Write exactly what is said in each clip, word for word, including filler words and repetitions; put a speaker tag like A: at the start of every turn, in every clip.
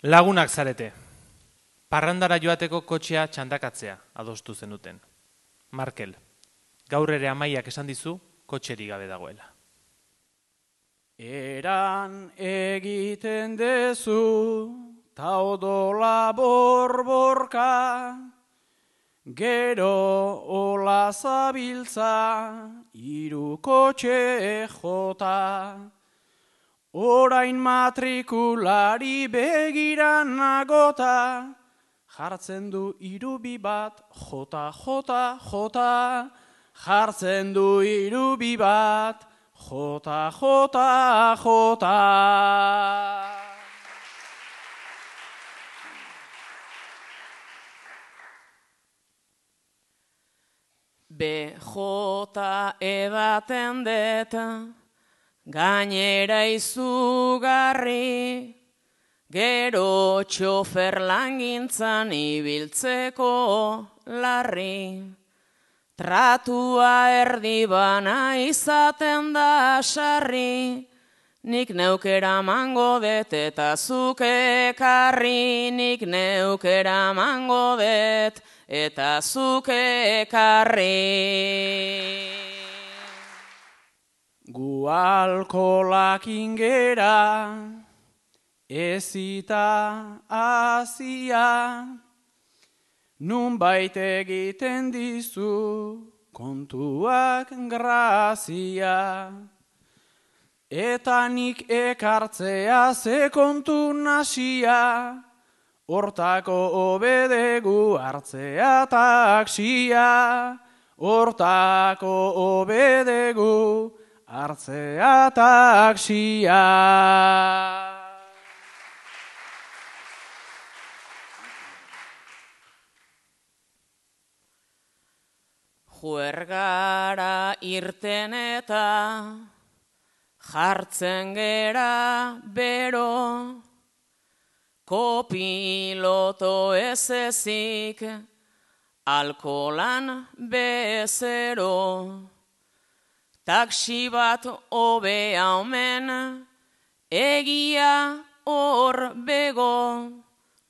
A: Lagunak zarete. Parrandara joateko kotxea txandakatzea adostu zenuten. Markel, gaur ere Amaiak esan dizu kotxerik gabe dagoela.
B: Eran egiten dezu, ta odola borborka, gero ola zabiltza, hiru kotxe jota. Orain matrikulari begiran nagota, jartzen du hirubi bat, jota, jota, jota, jartzen du hirubi bat, jota, jota, jota.
C: B J edaten det, gainera izugarri, gero txofer langintzan ibiltzeko larri. Tratua erdi bana izaten da sarri, nik neukera mango det eta zuk ekarri, nik neukera mango det eta zuk ekarri.
B: Gu alkolak ingera, ezita azia, nunbait egiten dizu kontuak grazia. Eta nik ekartzea ze kontu nasia, hortako obedegu hartzea taksia, hortako obedegu hartzea taksia.
C: Juergara irten eta jartzen gera bero, kopiloto ez ezik, alkolan bezero. Taksi bat hobea omen, egia hor bego,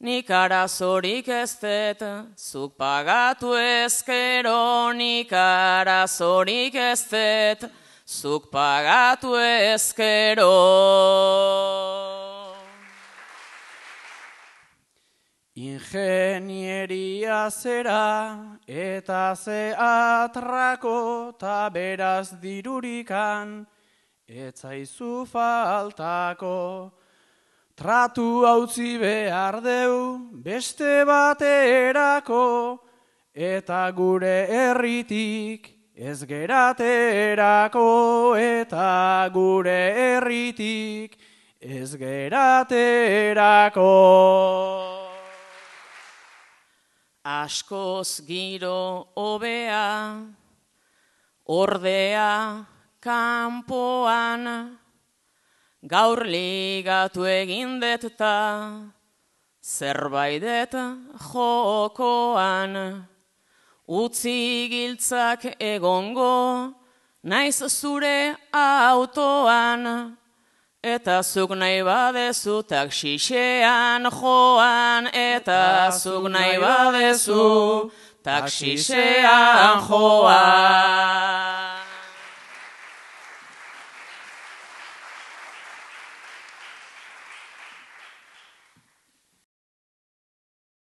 C: nik arazorik ez det, zuk pagatu ezkero, nik arazorik ez det, zuk pagatu ezkero.
B: Ingenieria zera eta ze atrako ta beraz dirurikan etzaizu faltako. Tratu hautzi behar deu beste baterako eta gure herritik ez geraterako eta gure herritik ez geraterako.
C: Askoz giro hobea, ordea kanpoan, gaur ligatu egin det ta, zerbaidet jokoan. Utzi giltzak egongo, naiz zure autoan, eta zuk nahi badezu taksixean joan, eta zuk nahi badezu taksixean joan.